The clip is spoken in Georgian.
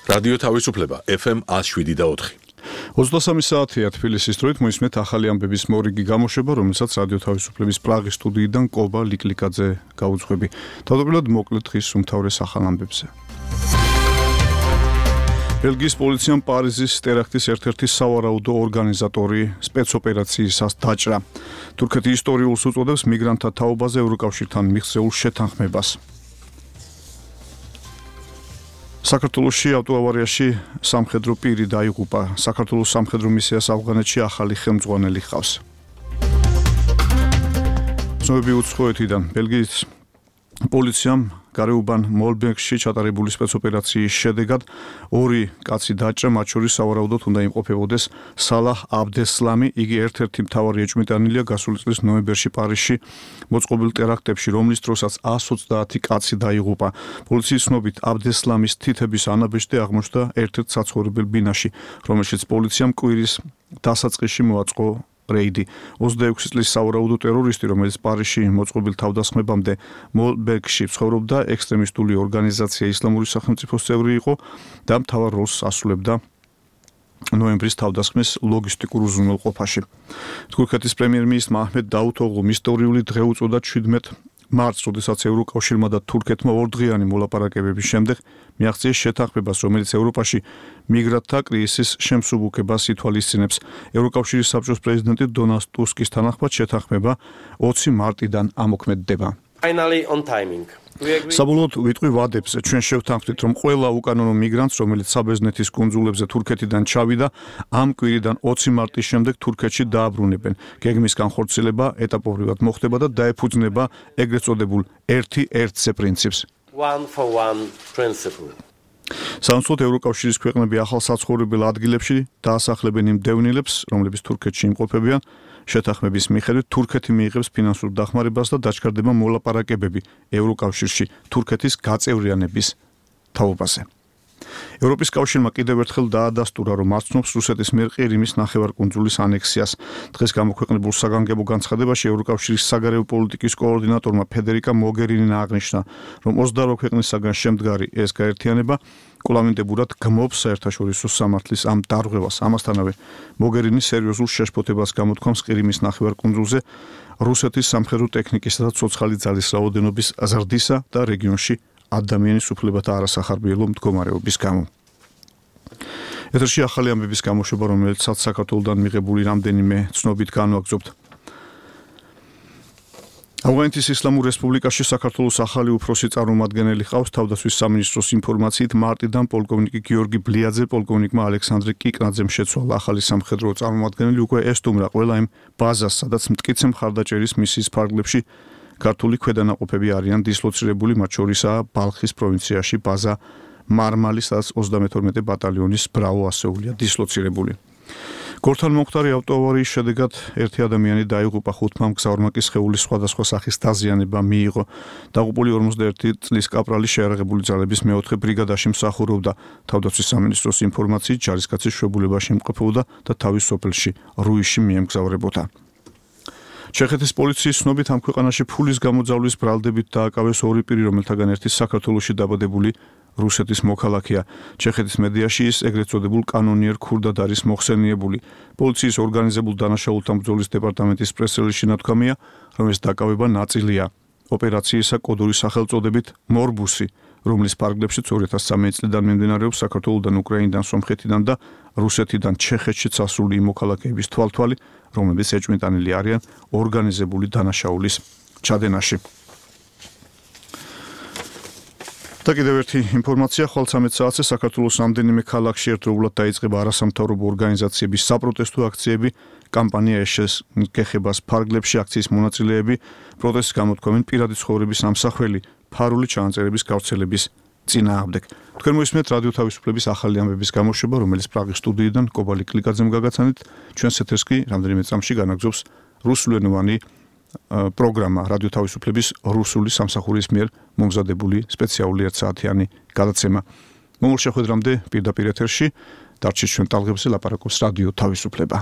რადიო თავისუფლება FM 107.4. 23 საათია თბილისის დროით მოისმენთ ახალი ამბების მორიგი გამოშვება, რომელსაც რადიო თავისუფლების პრაღის სტუდიიდან კობა ლიკლიკაძე გაუძღვები. თავდაპირველად მოკლედ დღის უმთავრეს ახალ ამბებზე. ბელგიის პოლიციამ პარიზის ტერაქტის ერთ-ერთი სავარაუდო ორგანიზატორი სპეცოპერაციისას დაჭრა. თურქეთი ისტორიულს უწოდებს მიგრანტთა თაობაზე ევროკავშირთან მიღწეულ შეთანხმებას. საქართველოში ავტოავარიაში სამხედრო პირი დაიღუპა. საქართველოს სამხედრო მისიას ავღანეთში ახალი ხელმძღვანელი ჰყავს. ცნობები უცხოეთიდან ბელგიის პოლიციამ გარეუბან მოლბეგში ჩატარებული სპეცოპერაციის შედეგად 2 კაცი დაჭრა, მათ შორის სავარაუდოდ უნდა იმყოფებოდეს სალაჰ აბდესლამი. იგი ერთ-ერთი მთავარი ეჭვმიტანილია გასული წლის ნოემბერში პარიზში მოწყობილ ტერაქტებში, რომლის დროსაც 130 კაცი დაიღუპა. პოლიციის ცნობით აბდესლამის თითების ანაბეჭდი აღმოჩნდა ერთ-ერთ საცხოვრებელ ბინაში, რომელშიც პოლიციამ კვირის დასაწყისში მოაწყო რეიდი. 26 წლის სავარაუდო ტერორისტი, რომელიც პარიზში მოწყობილ თავდასხმებამდე მოლბეგში ცხოვრობდა, ექსტრემისტული ორგანიზაცია ისლამური სახელმწიფოს წევრი იყო და მთავარ როლს ასრულებდა ნოემბრის თავდასხმის ლოგისტიკურ უზრუნველყოფაში. თურქეთის პრემიერ-მინისტრმა აჰმედ დაუთოღლუმ ისტორიული დღე უწოდა 17 მარტს, როდესაც ევროკავშირმა და თურქეთმა ორდღიანი მოლაპარაკებების შემდეგ მიაღწიეს შეთანხმებას, რომელიც ევროპაში მიგრანტთა კრიზისის შემსუბუქებას ითვალისწინებს. ევროკავშირის საბჭოს პრეზიდენტი დონალდ ტუსკის თანახმად შეთანხმება 20 მარტიდან ამოქმედდება. საბოლოოდ ვიტყვი ვადებზე. ჩვენ შევთანხმდით, რომ ყველა უკანონო მიგრანტს, რომელიც საბერძნეთის კუნძულებზე თურქეთიდან ჩავიდა, ამ კვირიდან 20 მარტის შემდეგ თურქეთში დააბრუნებენ. გეგმის განხორციელება ეტაპობრივად მოხდება და დაეფუძნება ეგრეთ წოდებულ ერთი ერთზე პრინციპს. სამწუხაროდ ევროკავშირის ქვეყნები ახალ საცხოვრებელ ადგილებში დაასახლებენ იმ დევნილებს, რომლებიც თურქეთში იმყოფებიან. შეთანხმების მიხედვით თურქეთი მიიღებს ფინანსურ დახმარებას და დაჩქარდება მოლაპარაკებები ევროკავშირში თურქეთის გაწევრიანების თაობაზე. ევროპის კავშირმა კიდევ ერთხელ დაადასტურა, რომ აცნობს რუსეთის მიერ ყირიმის ნახევარკუნძულის ანექსიას. დღეს გამოქვეყნებულ საგანგებო განცხადებაში ევროკავშირის საგარეო პოლიტიკის კოორდინატორმა ფედერიკა მოგერინინა აღნიშნა, რომ 28 ქვეყნისაგან შემდგარი ეს გაერთიანება კვლავინდებურად გმობს საერთაშორისო სამართლის ამ დარღვევას. ამასთანავე მოგერინის სერიოზულ შეშფოთებას გამოთქვამს ყირიმის ნახევარკუნძულზე რუსეთის სამხედრო ტექნიკისა და ცოცხალი ძალის რაოდენობის ზრდისა და რეგიონში ადამიანის უფლებათა არასახარბიელო მდგომარეობის გამო. ეთერში ახალი ამბების გამოშვება, რომელიც საქართველოსთან მიღებული რამდენიმე ცნობით განვაგრძობთ. ავღანეთის ისლამურ რესპუბლიკაში საქართველოს ახალი უფროსი წარმომადგენელი ჰყავს. თავდაცვის სამინისტროს ინფორმაციით მარტიდან პოლკოვნიკი გიორგი ბლიაძე პოლკოვნიკმა ალექსანდრე კიკნაძემ შეცვალა. ახალი სამხედრო წარმომადგენელი უკვე ესტუმრა ყველა იმ ბაზას, სადაც მტკიცე მხარდაჭერის მისიის ფარგლებში ქართული ქვედანაყოფები არიან დისლოცირებული, მათ შორისაა ბალხის პროვინციაში ბაზა მარმალი, სადაც 32 ბატალიონის ბრავო ასეულია დისლოცირებული. გორთან მომხდარი ავტოავარიის შედეგად ერთი ადამიანი დაიღუპა, 5 მგზავრმა კი სხეულის სხვადასხვა სახის დაზიანება მიიღო. დაღუპული 41 წლის კაპრალი შეიარაღებული ძალების მეოთხე ბრიგადაში მსახურობდა. თავდაცვის სამინისტროს ინფორმაციით ჯარისკაცი შვებულებაში იმყოფებოდა და თავის სოფელში რუიში მიემგზავრებოდა. ჩეხეთის პოლიციის ცნობით ამ ქვეყანაში ფულის გამოძავლის ბრალდებით დააკავეს 2 პირი, რომელთაგან ერთი საქართველოში დაბადებული რუსეთის მოქალაქეა. ჩეხეთის მედიაში ის ეგრეთ წოდებულ კანონიერ ქურდად არის მოხსენიებული. პოლიციის ორგანიზებულ დანაშაულთა ბრძოლის დეპარტამენტის პრეს-რელიზში ნათქვამია, რომ ეს დაკავება ნაწილია ოპერაციისა კოდური სახელწოდებით მორბუსი, რომლის ფარგლებშიც 2013 წლიდან მიმდინარეობს საქართველოსთან, უკრაინიდან, სომხეთიდან და რუსეთიდან ჩეხეთში წასული მოქალაქეების თვალთვალი, რომლებიც ეჭვმიტანილი არიან ორგანიზებული დანაშაულის ჩადენაში. და კიდევ ერთი ინფორმაცია, ხვალ 13 საათზე საქართველოს რამდენიმე ქალაქში ერთდროულად დაიწყება არასამთავრობო ორგანიზაციების საპროტესტო აქციები. კამპანია ეშეს გეხებას ფარგლებში აქციის მონაწილეები პროტესტს გამოთქვამენ პირადი ცხოვრების ამსახველი ფარული ჩანაწერების გავრცელების წინააღმდეგ. თქვენ მოისმენთ რადიო თავისუფლების ახალი ამბების გამოშვება, რომელიც პრაღის სტუდიიდან კობა ლიკლიკაძემ გაგაცანით. ჩვენს ეთერს კი რამდენიმე წამში განაგზობს რუსულენოვანი პროგრამა რადიო თავისუფლების რუსული სამსახურის მიერ მომზადებული სპეციალური 1 საათიანი გადაცემა. მომავალ შეხვედრამდე პირდაპირ ეთერში დარჩით ჩვენ ტალღებზე, ლაპარაკობს რადიო თავისუფლება.